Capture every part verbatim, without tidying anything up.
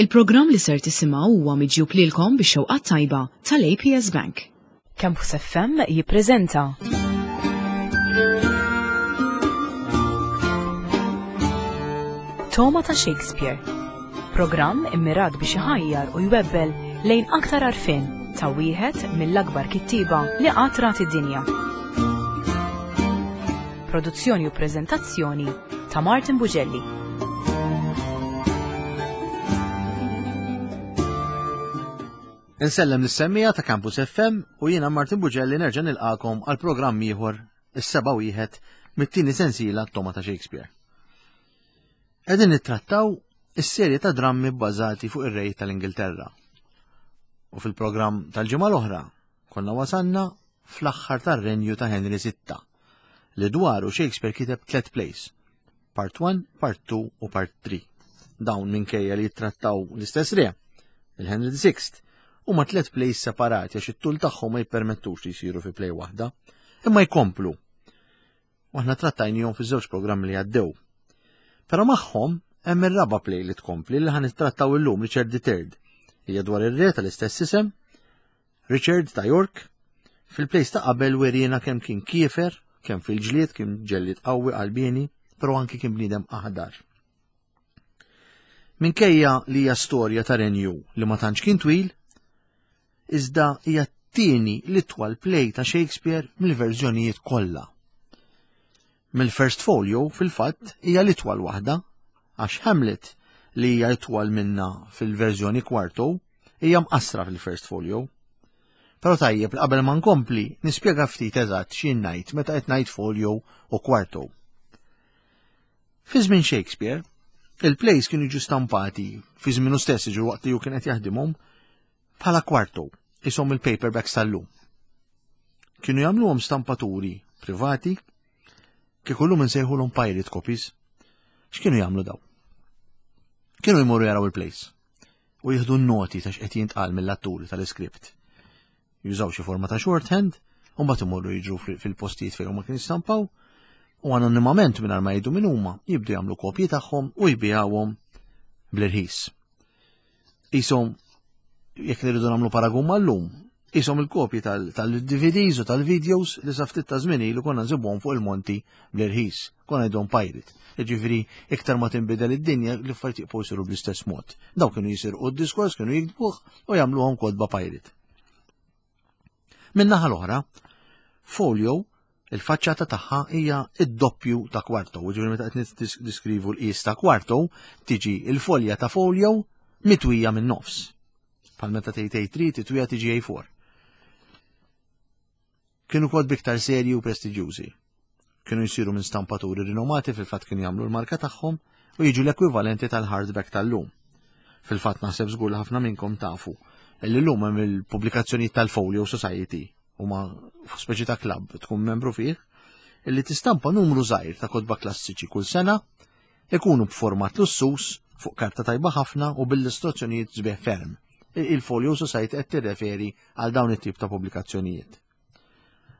Il-programm li ser tisimgħu huwa miġjub lilkom bix-xewqa tajba tal-A P S Bank. Campus F M jippreżenta Togħma ta' Shakespeare. Programm immirat biex iħajjar u jwebbel lejn aktar għarfien ta' wieħed mill-akbar kittieba li qatt rat id-dinja. Produzzjoni u preżentazzjoni ta' Martin Bugelli. Insellem lis-semmiegħa ta' Campus F M u jiena Martin Bugelli nerġa' nilqakom għal programm ieħor, is-seba' wieħed mit-tieni sensiela Togħma ta' Shakespeare. Qegħdin nittrattaw is-serje ta' drammi bbażati fuq ir-rej tal-Ingilterra. U fil-programm tal-ġimgħa l-oħra konna wasanna fl-aħħar tar-renju ta' Henry sitta li dwaru Shakespeare kiteb tliet plays, Part one, Part two u Part three. Dawn minkejja li jittrattaw l-istess re, il-Henry the Sixth, huma tliet plays separati għax it-tul tagħhom ma jippermettux li jsiru fi play waħda, imma jkomplu. U aħna trattajnihom fiż-żewġ programmi li għaddew. Però magħhom hemm ir-raba' play li tkompli li ħa nittrattaw illum, Richard the Third. Hija dwar ir-re tal-istess isem, Richard ta' York. Fil-plays ta' qabel werina kemm kien kiefer, kemm fil-ġlied kien ġellied qawwi qalbieni, però anki kien bniedem aħdar. Minkejja li hija storja ta' renju li ma tantx kien twil, iżda hija t-tieni l-itwal play ta' Shakespeare mill-verżjonijiet kollha. Mill-First Folio fil-fatt hija l-itwal waħda, għax Hamlet, li hija itwal minna fil-verżjoni quarto, hija mqassra fil-First Folio. Però tajjeb li qabel ma nkompli nispjega ftit eżatt x'jien ngħid meta qed ngħid folio u quarto. Fi żmien Shakespeare, il-plays kienu jiġu stampati fi żmienu stess, jiġu waqt li hu kien qed jaħdimhom, bħala quarto, ishom il-paperbacks tal-lum. Kienu jagħmluhom stampaturi privati, kieku llum insejħulhom pirate copies. X'kienu jagħmlu daw? Kienu jmorru jaraw il-plays u jieħdu n-noti ta' x'qed jintqal mill-atturi tal-iskript. Jużaw xi forma ta' shorthand u mbagħad imorru jiġru fil-postijiet fejn huma kienu jistampaw u anonimament, mingħajr ma jgħidu min huma, jibdu jagħmlu kopji tagħhom u jbigħuhom bl-irħis. Ishom, jekk nirridu nagħmlu paragun mal-lum, ishom il-kopji tal-D V Ds u tal-videos li sa ftit ta' żmien ilu konna nsibuhom fuq il-monti bl-irħis, konna ngħidhom pirate. Jiġifieri iktar ma tinbidel id-dinja, l-affarijiet jibqgħu jsiru bl-istess mod. Daw kienu jisirqu d-diskors, kienu jiktbuh u jagħmluhom kotba pirate. Min-naħa l-oħra, folio, il-faċċata tagħha hija id-doppju ta' quarto, ġifieri meta qed niskrivu l-qis ta' quarto, tiġi il-folja ta' folio mitwija minn nofs. Bħal meta tgħid A three titwija tiġi A four. Kienu kotba iktar serji u prestiġjużi. Kienu jsiru minn stampaturi rinomati, fil-fatt kienu jagħmlu l-marka tagħhom u jiġu l-ekwivalenti tal-hardback tal-lum. Fil-fatt naħseb żgur li ħafna minnkom tafu illi llum hemm il-pubblikazzjonijiet tal-Folio Society, huma speċi ta' club tkun membru fih, illi tistampa numru żgħir ta' kotba klassiċi kull sena, ikunu b'format lussus, fuq karta tajba ħafna u bil-istruzzjonijiet sbieħ ferm. Il-Folio Society qed tirreferi għal dawn it-tip ta' pubblikazzjonijiet.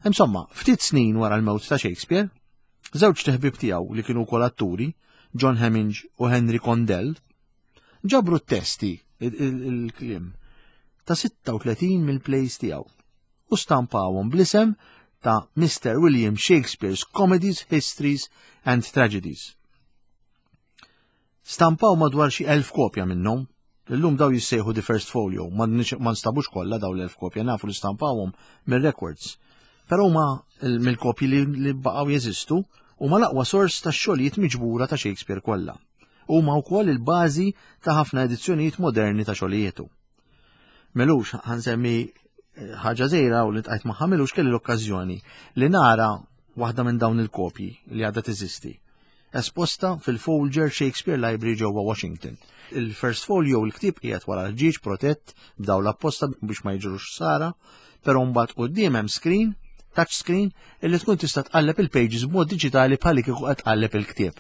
Insomma, ftit snin wara l-mewt ta' Shakespeare, żewġ ħbieb tiegħu li kienu wkoll atturi, John Heminge u Henry Condell, ġabru t-testi, il-kliem, ta' sitta u tletin mill-plays tiegħu u stampawhom bl-isem ta' Mister William Shakespeare's Comedies, Histories and Tragedies. Stampaw madwar xi elf kopja minnhom. Illum daw jissejħu The First Folio, ma nstabux kollha daw l-elf kopja, nafu li stampawhom mill-records. Però ma mill-kopji li, li baqgħu jeżistu huma l-aqwa sors ta' xogħlijiet miġbura ta' Shakespeare kollha. Huma wkoll il-bażi ta' ħafna edizzjonijiet moderni ta' xogħlijietu. M'ilux, ħa nsemmi ħaġa żgħira u li ltqajt magħha m'ilux, kelli l-okkażjoni li nara waħda minn dawn il-kopji li għadha teżisti, esposta fil-Folger Shakespeare Library ġewwa Washington. Il-First Folio, il-ktieb qiegħed wara l-ħġieġ protett b'dawl apposta biex ma jiġrux ħsara, però mbagħad quddiem hemm screen, touch screen, illi tkun tista' tqalleb il-pages b'mod diġitali bħal kieku qed tqalleb il-ktieb.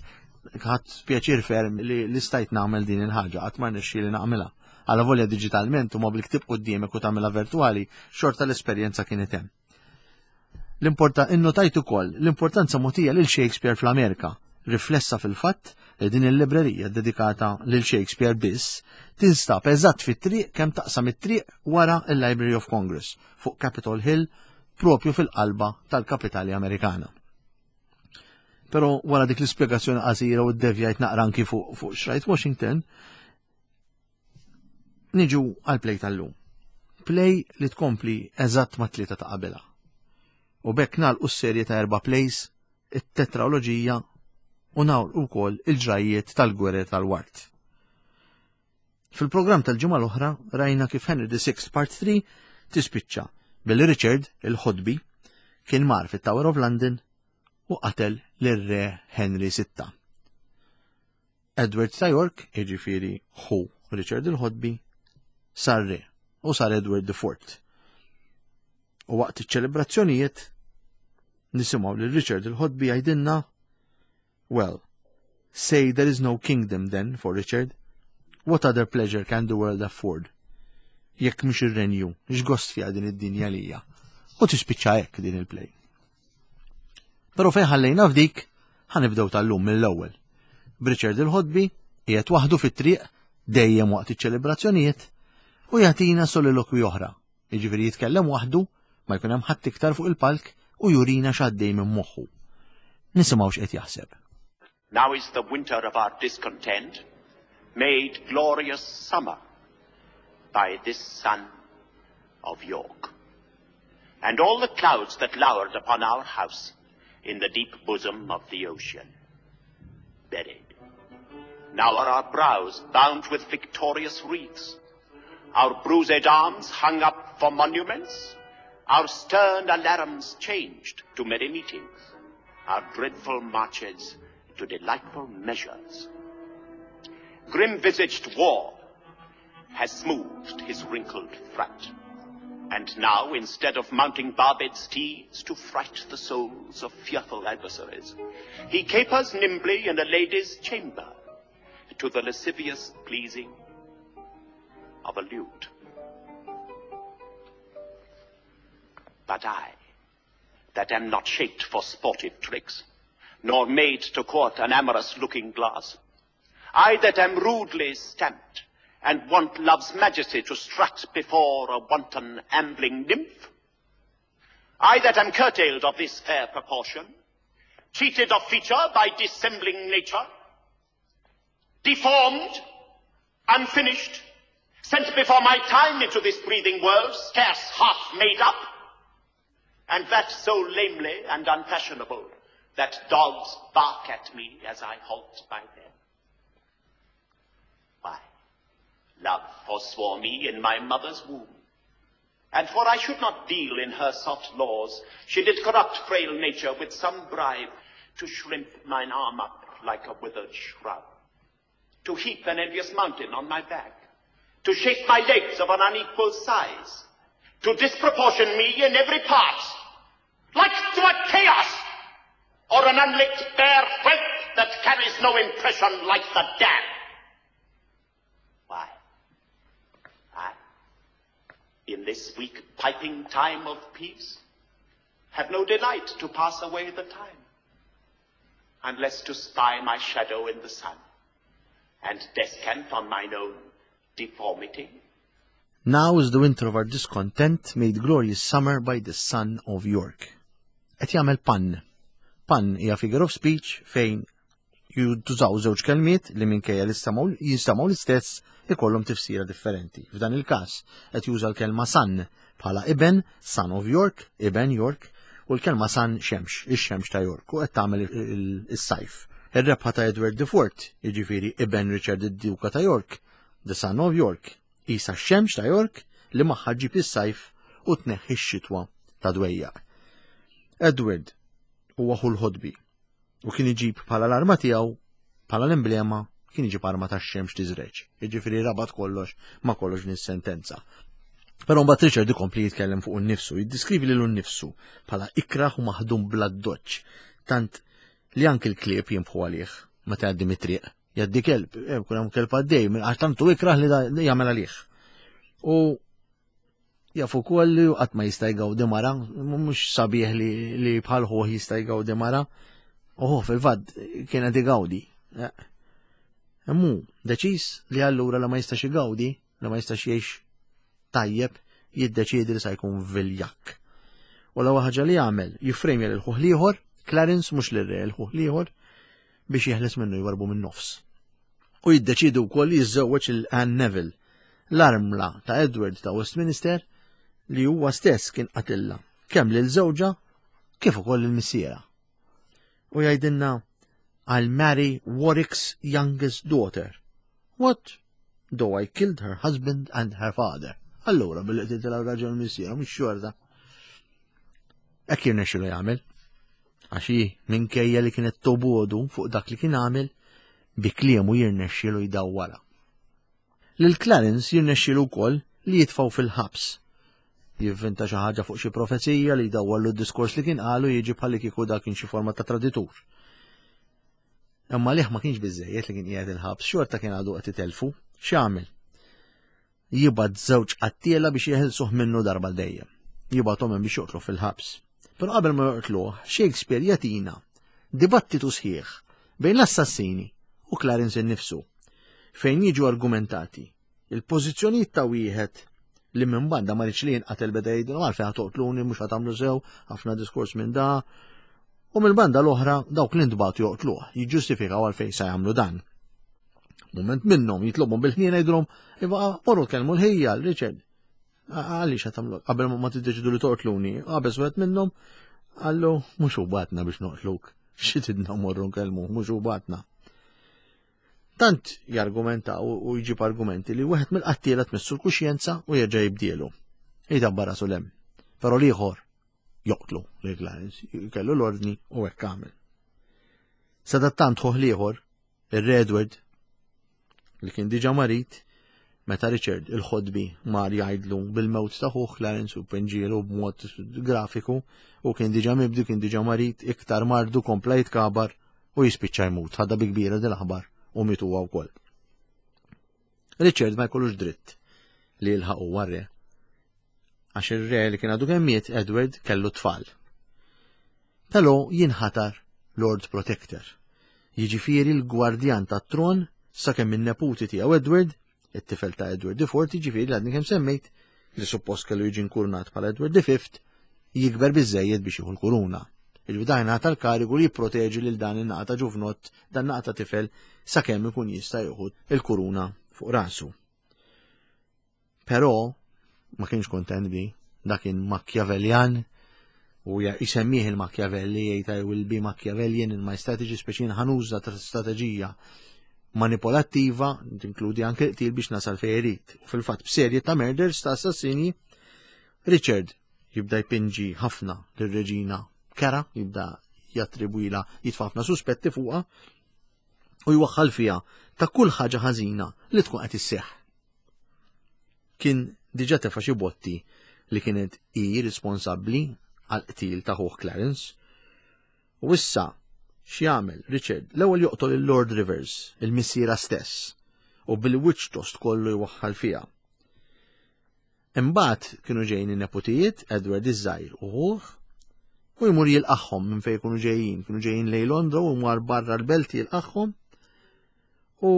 Ħadt pjaċir ferm li li stajt nagħmel din il-ħaġa, qatt ma rnexxieli nagħmilha. Għala volja diġitalment u ma bil-ktieb quddiemek u tagħmilha virtuali, xorta l-esperjenza kienet hemm. L-importa innotajt ukoll l-importanza mogħtija lil Shakespeare fl-Amerika. Riflessa fil-fatt li din il-librerija dedikata lil Shakespeare biss tinstab eżatt fit-triq kemm taqsam it-triq wara il-Library of Congress fuq Capitol Hill, propju fil-qalba tal-kapitali Amerikana. Però wara dik l-ispjegazzjoni qasira u ddevjajt naqra anki fuq fuq xrajt Washington, niġu għal play tal-lum. Play li tkompli eżatt ma' tlieta ta' qabilha. U b'hekk nagħlqu s-serje ta' erba' plays, it-tetraloġija, u nagħlqu wkoll il-ġrajiet tal-Gwerer tal-Ward. Fil-programm tal-ġimgħa l-oħra rajna kif Henry the Sixth Part three tispiċċa billi Richard il-Ħodbi kien mar fit-Tower of London u qatel lir-re Henry the Sixth. Edward ta' York, jiġifieri ħu Richard il-Ħodbi, sar re u sar Edward the Fourth. U waqt iċ-ċelebrazzjonijiet nisimgħu lil Richard il-Ħodbi jgħidilna: "Well, say there is no kingdom then for Richard. What other pleasure can the world afford? Jekk mhux ir-renju, x'gost fiha din id-dinja lija?" U tispiċċa hekk din il-play. Però fejn ħallejna f'dik, ħa nibdew tal-lum mill-ewwel. B'Richard il-Ħodbi qiegħed waħdu fit-triq dejjem waqt iċ-ċelebrazzjonijiet u jagħtina solilokwi oħra. Jiġifieri jitkellem waħdu, ma jkun hemm ħadd iktar fuq il-palk, u jurina x'għaddej minn moħħu. Nisimgħu x'qed jaħseb. Now is the winter of our discontent made glorious summer by this sun of York. And all the clouds that lowered upon our house in the deep bosom of the ocean, buried. Now are our brows bound with victorious wreaths, our bruised arms hung up for monuments, our stern alarums changed to merry meetings, our dreadful marches to delightful measures. Grim-visaged war has smoothed his wrinkled front. And now, instead of mounting barbed steeds to fright the souls of fearful adversaries, he capers nimbly in a lady's chamber to the lascivious pleasing of a lute. But I, that am not shaped for sportive tricks, nor made to court an amorous looking glass, I that am rudely stamped, and want love's majesty to strut before a wanton ambling nymph, I that am curtailed of this fair proportion, cheated of feature by dissembling nature, deformed, unfinished, sent before my time into this breathing world, scarce half made up, and that so lamely and unfashionable that dogs bark at me as I halt by them. Why, love forswore me in my mother's womb, and for I should not deal in her soft laws, she did corrupt frail nature with some bribe to shrimp mine arm up like a withered shrub, to heap an envious mountain on my back, to shape my legs of an unequal size, to disproportion me in every part, like to a chaos, or an unlicked bare whelp that carries no impression like the dam. Why, I, in this weak piping time of peace, have no delight to pass away the time, unless to spy my shadow in the sun, and descant on mine own deformity. Now is the winter of our discontent made glorious summer by the sun of York. Qed jagħmel pun. Pun hija figure of speech fejn jużaw żewġ kelmiet li minkejja li jinstemgħu l-istess ikollhom tifsira differenti. F'dan il-każ qed juża l-kelma son bħala iben, son of York, iben York, u l-kelma sun xemx, ix-xemx ta' York, u qed tagħmel is-sajf. Ir-rebħa ta' Edward the Fourth, jiġifieri iben Richard id-Duka ta' York, the son of York, isa x-xemx ta' York li magħha ġib is-sajf u tneħħi x-xitwa ta' dwejjaq. Edward huwa ħu l-ħodbi u kien iġib bħala l-arma tiegħu, bħala l-emblema, kien iġib arma tax-xemx tiżreġ. Jiġifieri rabat kollox ma' kollox din sentenza. Però mbagħad Richard ikompli jitkellem fuq innifsu, jiddiskrivi lilu nnifsu bħala ikraħ u maħdum bla doċ, tant li anki l-klieb jinbħu għalih meta jgħaddi mit-triq. Jgħaddi kelb, eh, kun hemm kelb għaddej, għax tantu ikraħ li jagħmel għalih. U jaf ukoll li qatt ma jista' jgawdi mara, mhux sabiħ li, li bħal ħuh jista' jgawdi mara. Uħu fil-fatt kien qed igawdi. Immu deċiż li allura la ma jistax igawdi, la ma jistax jgħix tajjeb, jiddeċiedi li sa jkun viljakk. U l-ewwel ħaġa li jagħmel jiffrejmja lil ħuh l-ieħor, Clarence mhux lir-re l ħuh l-ieħor, biex jeħles minnu jwarbu minn nofs. U jiddeċiedi wkoll li jiżżewweġ lil Anne Neville, l-armla ta' Edward ta' Westminster li huwa stess kien qatilha kemm lil żewġha kif ukoll il-missiera. U jgħidilna I'll marry Warwick's youngest daughter. What? Though I killed her husband and her father. Allura billi qtiltilha r-raġel missiera mhux xorta. Hekk jirnexxilu jagħmel. Għax hi minkejja li kienet tobogħdu fuq dak li kien għamel, bi kliemu jirnexxilu jdawwarha. Lil Clarence jirnexxilu wkoll li jitfgħu fil-ħabs. Jivvinta xi ħaġa fuq xi profezija li jdawwarlu d-diskors li kien qalu jiġi bħalli kieku dak kien xi forma ta' traditur. Imma liħ ma kienx biżejjed li kien qiegħed il-ħabs, xorta kien għadu qed itelfu. X'għamel? Jibgħat żewġ qattiela biex jeħilsuh minnu darba dejjem. Jibgħathom hemm biex joqtlu fil-ħabs. Però qabel ma joqtluh, Shakespeare jagħtina dibattitu sħiħ bejn l-assassini u Clarence innifsu, fejn jiġu argumentati il-pożizzjonijiet ta' wieħed li minn banda ma riedx li jinqatel beda jgħidu għalfejn ħa toqtluni mhux ħa tagħmlu sew, ħafna diskors minn da. U mill-banda l-oħra dawk li ntbagħtu joqtluh, jiġġustifikaw għalfejn sa jagħmlu dan. Moment minnhom jitlobhom bil-ħniena jgħidulhom, iva morru tkellmu l-ħija Richard. Għaliex qed tagħmlu qabel ma tiddeċidu li toqtluni, qabeż wieħed minnhom qallu mhux hu bagħatna biex noqtluk. Xi tidna morru nkellmu, mhux hu bagħatna. Tant jargumenta u jġib argumenti li wieħed mill-qattiela tmissu l-kuxjenza u jerġa' jibdielu. Jidabbar rasu lem. Però l-ieħor joqtlu lil Clarence, kellu l-ordni u hekk għamel. Sadattant ħuh l-ieħor, ir-Re Edward, li kien diġà marid, meta Richard il-ħodbi mar jgħidlu bil-mewt ta' ħuh Clarence u pinġielu b'mod grafiku u kien diġà mibdi, kien diġà marid, iktar mardu kompla jitkabar u jispiċċa jmut, ħadha bi kbira dil-aħbar u miet huwa wkoll. Richard ma jkollux dritt li jilħaq huwa re. Għax ir-re li kien għadu kemm miet Edward kellu tfal. Però jinħatar Lord Protector. Jiġifieri l-gwardjan tat-tron sakemm in-neputi tiegħu Edward, it-tifel ta' Edward the Fourth, jiġifieri li għadni kemm semmejt, li suppost kellu jiġi nkurnat bħala Edward the Fifth, jikber biżejjed biex jieħu l-kuruna. Il-bidajna tal-karigu li jipproteġi lil dan in-naqa ta' ġuvnott, dan naqa ta' tifel, sakemm ikun jista' jieħu il-kuruna fuq rasu. Però ma kienx kontent bi, dak kien Machiavellian u jisemmih il-Machiavelli, jgħid I will be Machiavellian in my strategy, speċi ħa nuża ta' strateġija manipolattiva, tinkludi anke qtil biex nasal fejn irid. U fil-fatt b'serje ta' murders ta' assassini, Richard jibda jpinġi ħafna lir-reġina Kara, jibda jattribwila jitfa' ħafna suspetti fuqha u jwaħħal fiha ta' kull ħaġa ħażina li tkun qed isseħħ. Kien diġà tefa' xi botti li kienet hi responsabbli għal qtil ta' ħuh Clarence. U issa x'jagħmel Richard? L-ewwel joqtol il-Lord Rivers, il-missiera stess, u bil-wiċċ tost kollu jwaħħal fiha. Imbagħad kienu ġejjin in-neputijiet Edward iż-żgħir u ħuh u jmur jilqagħhom minn fejn kienu ġejjin, kienu ġejjin lejn Londra u mar barra l-belt jilqagħhom u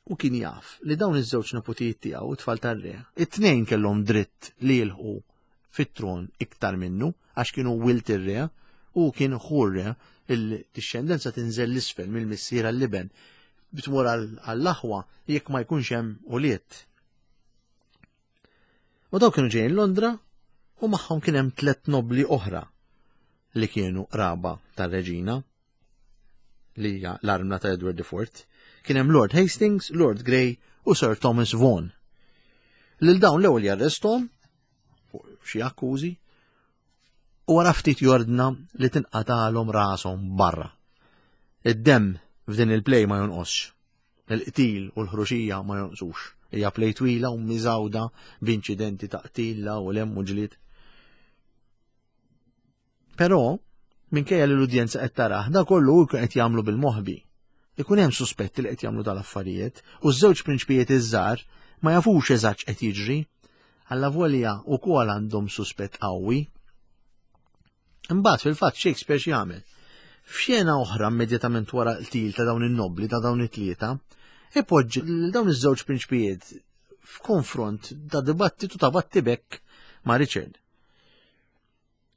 u kien jaf li dawn iż-żewġ neputijiet tiegħu it-tfal tar-re, it-tnejn kellhom dritt li jilħqu fit-tron iktar minnu għax kienu wild ir-re u kien ħu r-re, il-dixxendenza tinżel l-isfel mill-missier għall-iben bitmur għall-aħwa jekk ma jkunx hemm ulied. U daw kienu ġejjin Londra u magħhom kien hemm tliet nobli oħra li kienu qraba tar-reġina li hija l-armla ta' Edward the Fourth. Kien hemm Lord Hastings, Lord Grey u Sir Thomas Vaughan. Lil dawn l-ewwel jarrestom fuq xi akkużi u wara ftit jordna li tinqatalhom rashom barra. Id-demm f'din il-play ma jonqosx. Il-qtil u l-ħruxija ma jonqsux. Hija play twila u miżawda b'inċidenti ta' qtil u lem u ġlied. Però minkejja li l-udjenza qed tarah, da kollu hu qed jagħmlu bil-moħbi. Ikun hemm suspetti li qed jagħmlu tal-affarijiet u ż-żewġ prinċpijiet iż-żgħar ma jafux eżatt qed jiġri. Allavolja wkoll għandhom suspett qawwi. Imbagħad fil-fatt Shakespeare x'jagħmel? F'xena oħra immedjatament wara l-qtil ta' dawn in-nobli ta' dawn it-tlieta, ipoġġi lil dawn iż-żewġ prinċpijiet f'konfront ta' dibattitu ta' battibekk ma' Richard.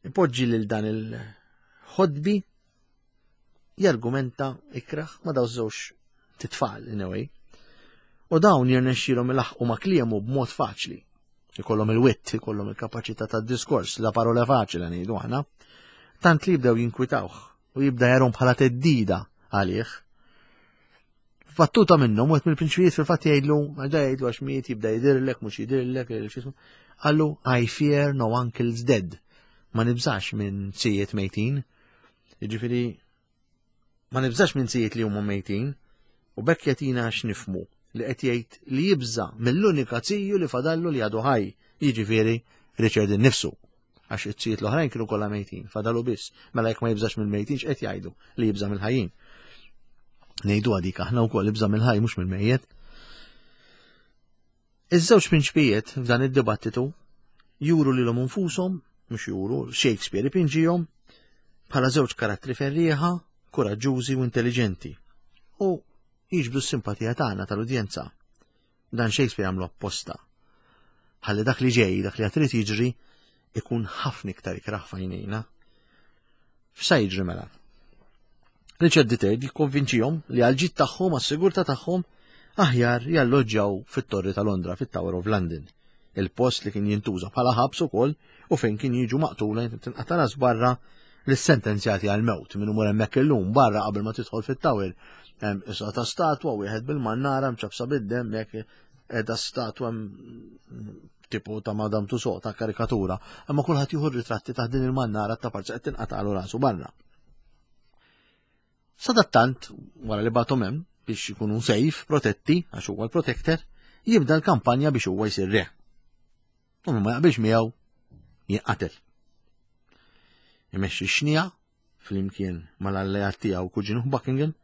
Ipoġġi lil dan il-ħodbi jargumenta ikraħ ma' dawn żewġ titfal in a way. U dawn jirnexxilhom ilaħqu ma' kliemu b'mod faċli. Ikollhom il-wit, ikollhom il-kapaċità tad-diskors, la parola faċli ngħidu aħna. Tant li jibdew jinkwitawh u jibda jarhom bħala theddida għalih. Battuta minnhom wieħed mill-prinċpijiet fil-fatt jgħidlu, ġa jgħidlu għax miet jibda jidirlek, mhux jidirlek, x'ismu. Qallu I fear no uncles dead. Ma nibżax minn zijiet mejtin. Jiġifieri ma nibżax minn zijiet li huma mejtin u bekk jagħtina x'nifhmu li qed jgħid li jibża mill-unika ziju li fadallu li għadu ħaj, jiġifieri Richard innifsu. Għax it-zijiet l-oħrajn kienu kollha mejtin, fadalu biss. Mela jekk ma jibżax mill-mejtin x'qed jgħidu li jibża mill-ħajjin. Ngħidu għadik aħna wkoll ibża mill-ħaj mhux mill-mejjet. Iż-żewġ prinċpijiet f'dan id-dibattitu juru lilhom infushom, mhux juru, Shakespeare ipinġihom bħala żewġ karattri ferrieħa, kuraġġużi u intelligenti. U jiġbdu s-simpatija tagħna tal-udjenza. Dan Shakespeare għamlu apposta. Ħalli dak li ġej, dak li għad irid jiġri, ikun ħafna iktar ikraħ f'għajnejna. F'sa jiġri mela? Richard the Third jikkonvinċihom li għal-ġid tagħhom, għas-sigurtà tagħhom, aħjar jalloġġjaw fit-Torri ta' Londra, fit-Tower of London. Il-post li kien jintuża bħala ħabs ukoll u fejn kien jiġu maqtula tinqata' ras barra l-sentenzjati għal-mewt minn umur hemmhekk illum barra qabel ma tidħol fit-Tower. Hemm issa ta' statwa wieħed bil-mannara mċabsa bid-demm jekk qiegħda statwa tipo ta' Madame Tussauds ta' karikatura, imma kulħadd jieħu ritratti ta' din il-mannara ta' parti qed tinqatagħlu rasu barra. Sadattant, wara li bagħthom hemm biex ikunu safe, protetti, għax huwa l-protector, jibda l-kampanja biex huwa jsir re. U ma jaqbilx miegħu jinqatel. Imexxi xnija flimkien mal-alleat tiegħu kuġinu Buckingham,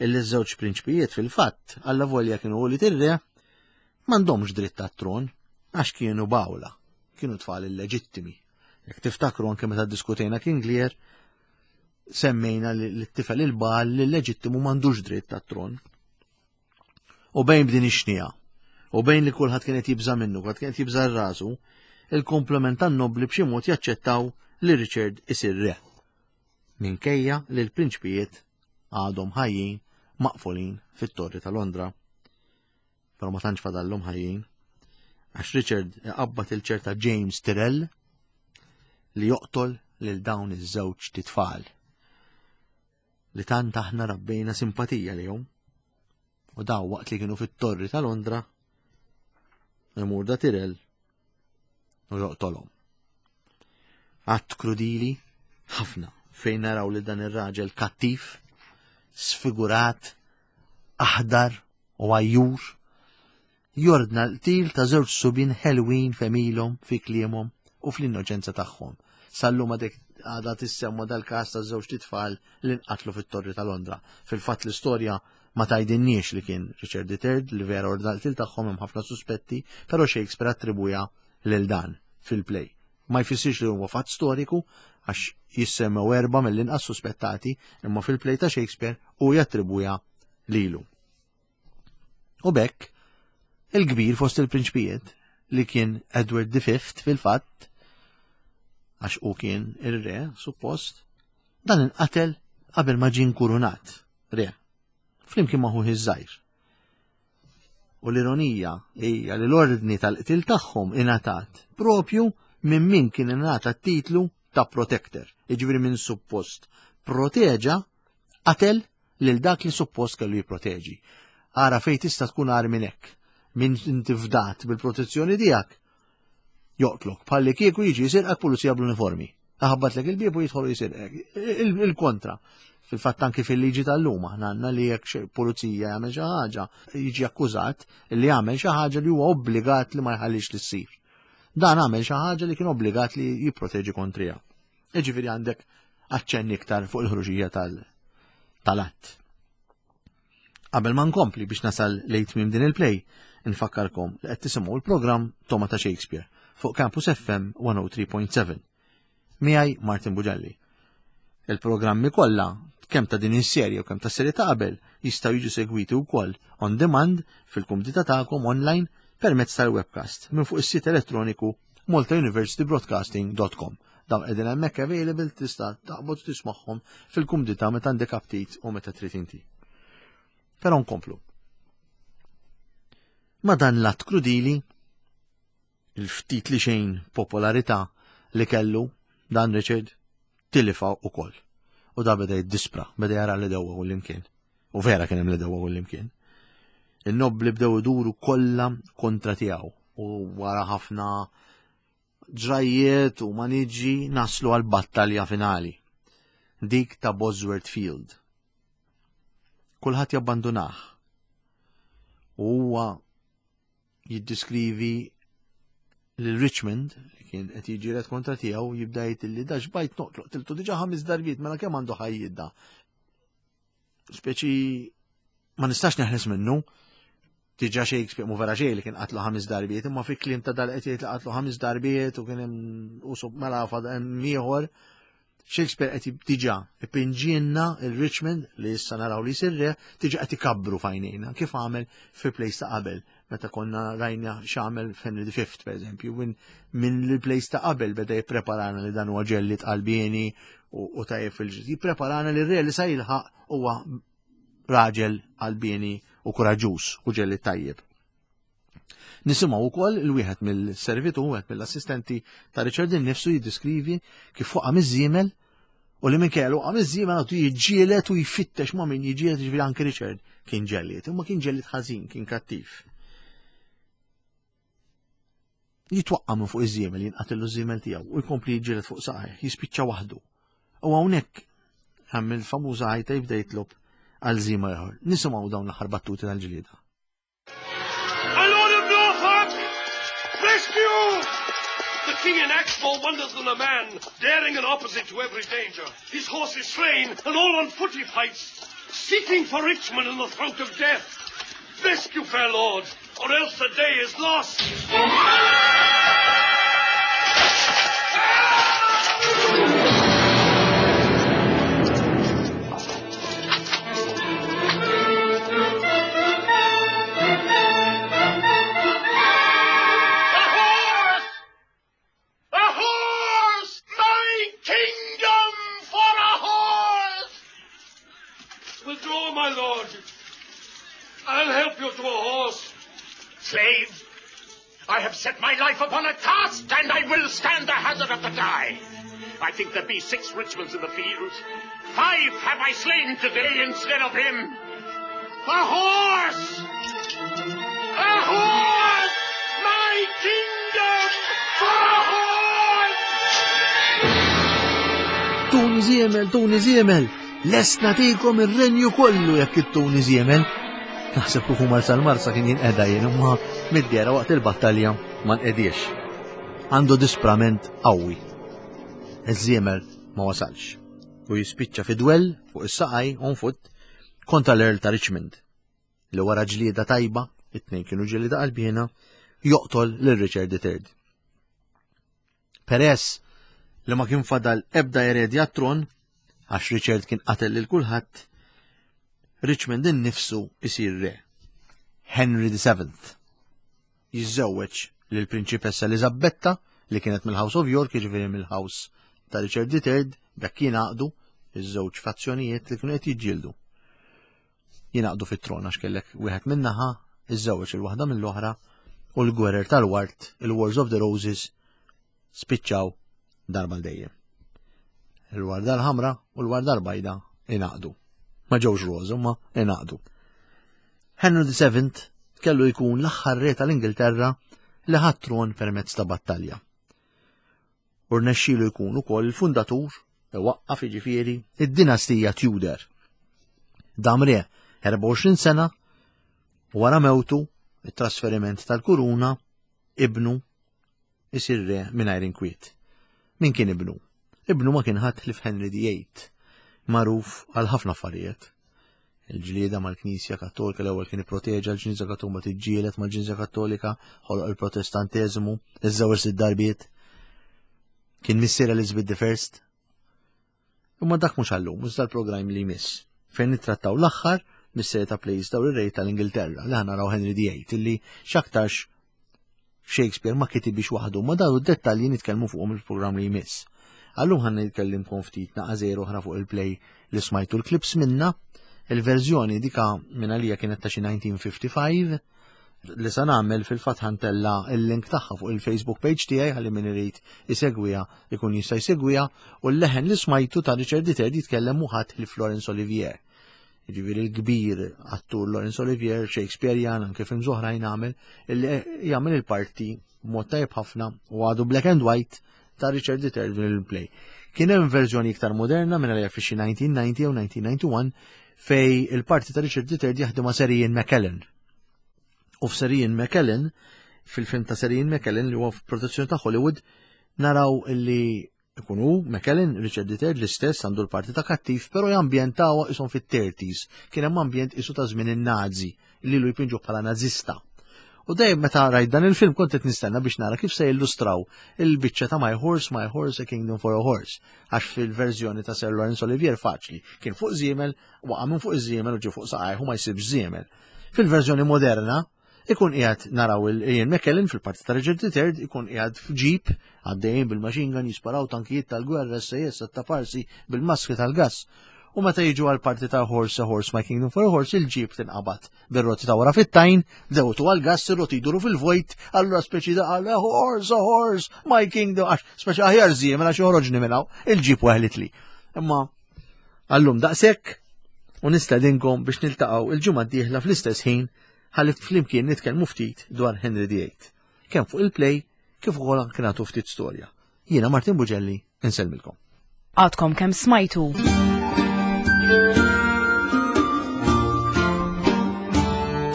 illi żewġ prinċpijiet fil-fatt alla volja kienu li tir-re m'għandhomx dritt tat-tron għax kienu bawla, kienu tfal illeġittimi. Jekk tiftakru anke meta diskutejna King Lear, semmejna li t-tifel il-bal li l-leġittimu m'għandux dritt tat-tron. U bejn b'din ix-xnija, u bejn li kulħadd kien qed jibża' minnu, kulħadd kien qed jibża' rasu, il-komplement tan-nobli b'xi mod jaċċettaw li Richard isir re. Minkejja li l-prinċpijiet għadhom ħajjin maqfulin fit-Torri ta' Londra. Però ma tantx fadallhom ħajjin. Għax Richard iqabbad il-ċerta James Tyrrell li joqtol lil dawn iż-żewġ titfal li tant aħna rabbejna simpatija lihom. U daw waqt li kienu fit-Torri ta' Londra imur da Tyrrell u joqtolhom. Att krudili ħafna fejn naraw li dan ir-raġel kattiv, sfigurat, aħdar u għajjur, jordna l-qtil ta' żewġ subien ħelwin f'għemilhom, fi kliemhom u fl-innoċenza tagħhom. Sallum għadek għadha tissemma dal-każ ta' żewġ titfal li nqatlu fit-Torri ta' Londra. Fil-fatt l-istorja ma tgħidilniex li kien Richard the Third li vera ordna l-qtil tagħhom hemm ħafna suspetti, però Shakespeare attribwija lil dan fil-play. Ma jfissirx li huwa fatt storiku għax jissemmew erba' mill-inqas suspettati, imma fil-play ta' Shakespeare u jattribwija lilu. U bekk, il-kbir fost il-prinċpijiet li kien Edward the Fifth fil-fatt, għax u kien ir-re, suppost, dan inqatel qabel ma ġie nkurunat re, flimkien ma' ħuh iż-żgħir. U l-ironija hija li l-ordni tal-qtil tagħhom ingħatat propju minn min kien ingħata t-titlu ta' protector, jiġifieri minn suppost proteġa qatel lil dak li suppost kellu jipproteġi. Ara fejn tista' tkun agħar minn hekk, min inti fdat bil-protezzjoni tiegħek joqtlok, bħalli kieku jiġi jisirqek pulizija bl-uniformi. Aħabbatlek il-bieb u jidħolu jisirqek. Il-kontra. Fil-fatt anki fil-liġi tal-lum aħna għandna li jekk pulizija jagħmel xi ħaġa, jiġi akkużat li jagħmel xi ħaġa li huwa obbligat li ma jħallix li ssir. Dan għamel xi ħaġa li kien obbligat li jipproteġi kontrija. Jiġifieri għandek aċċenn iktar fuq il-ħruġija tal-att. Qabel ma nkompli biex nasal lejn tmiem din il-play, nfakkarkom li qed tisimgħu l-programm Toma ta' Shakespeare fuq Campus F M one oh three point seven. Miegħi Martin Bugelli. Il-programmi kollha kemm ta' din is-serje u kemm ta' serje ta' qabel jistgħu jiġu segwiti wkoll on demand fil-kumdità tagħkom online permezz tal-webcast minn fuq is-sit elettroniku malta university broadcasting dot com. Dawn qegħdin hemmhekk available, tista' taqbad tismagħhom fil-kumdità meta għandek aptit u meta trid inti. Però nkomplu. Ma dan l-att krudili, il-ftit li xejn popolarità li kellu dan Richard tilifa ukoll. U da beda jiddispra, beda jara l-għedewwa kullimkien. U vera kien hemm l-għedewwa kullimkien. Il-nobli bdew iduru kollha kontra tiegħu u wara ħafna ġrajiet u maniġi naslu għal battalja finali. Dik ta' Bosworth Field. Kulħadd jabbandunah. U huwa jiddiskrivi lil Richmond li kien qed jiġġieled kontra tiegħu, jibda jgħid li da xbajt noqtlu, qtiltu diġà ħames darbiet, mela kemm għandu ħajjidda. Speċi ma nistax neħles minnu. Diġà Shakespeare mu vera xejn li kien qatlu ħames darbiet, imma fi kliem ta' dal qed jgħid li qatlu ħames darbiet u kien hemm u sub mela fad hemm ieħor. Shakespeare qed diġà ipinġielna il-Richmond li issa naraw li jsir re, diġà qed ikabbru f'għajnejna kif għamel fi plays ta' qabel meta konna rajna x'għamel f'Henry the Fifth, per eżempju, minn min l-plays ta' qabel beda jippreparana li dan huwa ġellied qalbieni u, u tajjeb fil-ġid. Jippreparana li r-re li sa jilħaq huwa raġel qalbieni u kuraġuż u ġellied tajjeb. Nisimgħu wkoll il-wieħed mill-servitu, wieħed mill-assistenti ta' Richard innifsu jiddiskrivi kif waqa' miż-żiemel u li minn kellu waqa' miż-żiemel għadu jiġġieled u jfittex ma' min jiġġieled, jiġifieri anke Richard kien ġellied, imma kien ġellied ħażin, kien kattiv. Jitwaqqa' minn fuq iż-żiemel, jinqatillu ż-żiemel tiegħu u jkompli jiġġieled fuq saqajh, jispiċċa waħdu. U hawnhekk hemm il-famuża ħajta jibda jitlob għal żiemel ieħor. Nisimgħu dawn l-aħħar battuti tal-ġlieda. My Lord of Norfolk! Rescue! The king enacts more wonders than a man, daring and opposite to every danger. His horse is slain, and all on foot he fights, seeking for Richmond in the throat of death. Rescue, fair lord, or else the day is lost. A horse! A horse! My kingdom for a horse! Withdraw, my lord. I'll help you to a horse. Slave, I have set my life upon a task, and I will stand the hazard of the die. I think there be six Richmonds in the field. Five have I slain today instead of him. A horse! A horse! My kingdom for a horse! Tuni żiemel, tuni żiemel, lest nagħtikom ir-renju kollu jekk ittuni żiemel. Naħseb kieku mar sal-Marsa kien jinqeda jien, imma mid-dehra waqt il-battalja ma nqediex. Għandu disprament qawwi. Iż-żiemel ma wasalx. U jispiċċa fi dwell fuq is-saqaj on foot kontra l-Earl ta' Richmond. Li wara ġlieda tajba, it-tnejn kienu ġlieda qalbiena, joqtol lil Richard the Third. Peress li ma kien fadal ebda eredi għat-tron, għax Richard kien qatel lil kulħadd, Richmond innifsu isir re. Henry the Seventh. Jiżżewweġ lil prinċipessa Elizabetta li kienet mill-House of York, jiġifieri mill-House ta' Richard the Third, b'hekk jingħaqdu iż-żewġ fazzjonijiet li kienu qed jiġġieldu. Jingħaqdu fit-tron għax kellek wieħed min-naħa, iżżewweġ il-waħda mill-oħra u l-gwerer tal-ward, il-Wars of the Roses, spiċċaw darba dejjem. Il-warda l-ħamra u l-warda l-bajda ingħaqdu. Ma ġewx roż, imma ingħaqdu. Henry the Seventh kellu jkun l-aħħar re tal-Ingilterra li ħa t-tron permezz ta' battalja. U rnexxielu jkun ukoll il-fundatur, iwaqqaf jiġifieri, id-dinastija Tudor. Dam re erbgħa u għoxrin sena u wara mewtu it-trasferiment tal-kuruna ibnu isir re mingħajr inkwiet. Min kien ibnu? Ibnu ma kien ħadd ħlief Henry the Eighth, magħruf għal ħafna affarijiet. Il-ġlieda mal-Knisja Kattolika, l-ewwel kien ipproteġa l-Knisja Kattolika, tiġġieled mal-Knisja Kattolika, ħoloq il-Protestanteżmu, iżżewweġ sitt darbiet. Kien missier Elizabeth the First. Imma dak mhux għallum, iżda l-programm li jmiss, fejn nittrattaw l-aħħar mis-serje ta' plays dawn ir-re tal-Ingilterra li ħa naraw Henry the Eighth, illi x'aktarx Shakespeare ma kitibhiex waħdu, ma dawn id-dettalji nitkellmu fuqhom il-programm li jmiss. Għallum ħa nitkellimkom ftit naqra oħra fuq il-play li smajtu l-clips minna. Il-verżjoni dika minn għalija kienet ta' xi elf disa' mija u ħamsa u ħamsin li sa nagħmel fil-fatt ħa ntella' il-link tagħha fuq il-Facebook page tiegħi ħalli min irid isegwiha ikun jista' jsegwiha, u l-leħen li smajtu ta' Richard the Third jitkellem mhu ħadd ħlief Laurence Olivier. Jiġifieri l-kbir attur Laurence Olivier, Shakespearean, anke films oħrajn għamel, illi jagħmel il-parti b'mod tajjeb ħafna u għadu black and white ta' Richard the Third fil-play. Kien hemm verżjoni iktar moderna minn għalija fi xi elf disa' mija u disgħin jew elf disa' mija u disgħa u disgħin fej il-parti ta' Richard the Third jaħdem ma' Sir Ian McKellen. U f'Sir Ian McKellen, fil-film ta' Sir Ian McKellen li huwa f'produzzjoni ta' Hollywood, naraw illi ikunu McKellen, Richard the Third l-istess għandu l-parti ta' kattiv, pero jambjentaw isom fit-thirties. Kien hemm ambjent isu ta' żmien in-Nazi, li lu jpinġu bħala nazista. U dejjem meta rajt dan il-film kont qed nistenna biex nara kif se jillustraw il-biċċa ta' "My Horse, My Horse, a Kingdom for a Horse". Għax fil-verżjoni ta' Sir Laurence Olivier faċli, kien fuq żiemel, waqa' minn fuq iż-żiemel u ġie fuq saqajh u ma jsibx żiemel. Fil-verżjoni moderna, ikun qiegħed naraw il-Ian McKellen fil-parti ta' Richard the Third ikun qiegħed f'ġip għaddejjin bil-machine gun, jisparaw tankijiet tal-gwerra, S A S ta' parsi bil-maskri tal-gas. U meta jiġu għal parti ta' "Horse, a Horse, My Kingdom for a Horse", il-ġip tinqabad bir-roti ta' wara fit-tajn, dewtu għal gas, ir-roti jduru fil-vojt, allura speċi da għal "Horse, a Horse, My Kingdom", għax speċi aħjar żiemel għax joħroġni minn hawn, il-ġip weħlitli. Imma għallum daqshekk u nistedinkom biex niltaqgħu il-ġimgħa d-dieħla fl-istess ħin ħalli flimkien nitkellmu ftit dwar Henry the Eighth. Kemm fuq il-play kif ukoll anke nagħtu ftit storja. Jiena Martin Bugelli, insellmilkom. Għadkom kemm smajtu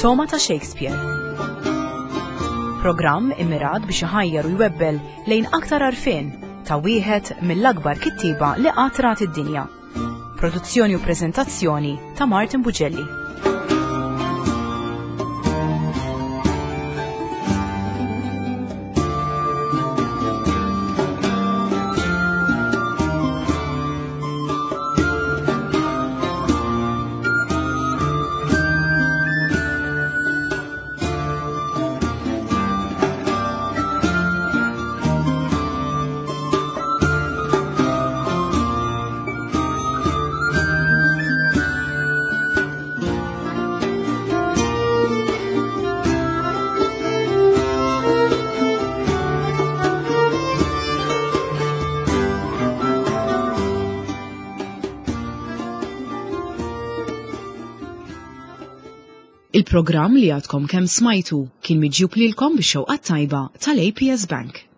Togħma ta' Shakespeare. Programm immirat biex iħajjar u jwebbel lejn aktar għarfien ta' wieħed mill-akbar kittiba li qatt rat id-dinja. Produzzjoni u preżentazzjoni ta' Martin Bugelli. Il-programm li għadkom kemm smajtu kien miġjub lilkom bix-xewqa tajba tal-A P S Bank.